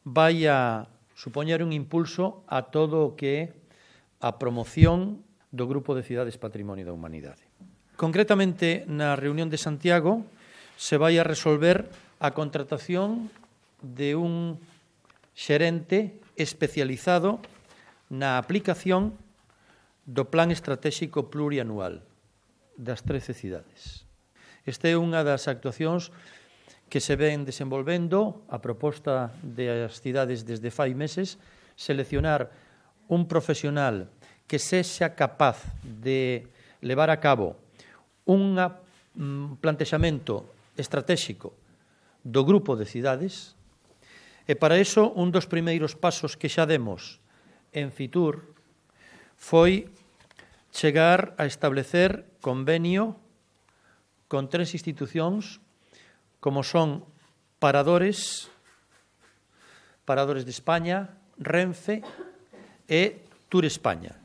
vai a supoñer un impulso a todo o que é a promoción do Grupo de Cidades Patrimonio da Humanidade. Concretamente, na reunión de Santiago se vai a resolver a contratación de un xerente especializado na aplicación do Plan Estratégico Plurianual das 13 cidades. Esta é unha das actuacións que se ven desenvolvendo a proposta das cidades desde fai meses, seleccionar un profesional que sexa capaz de levar a cabo un plantexamento estratégico do grupo de cidades, e para iso un dos primeiros pasos que xa demos en Fitur foi chegar a establecer convenio con 3 institucións como son Paradores de España, Renfe e Tour España.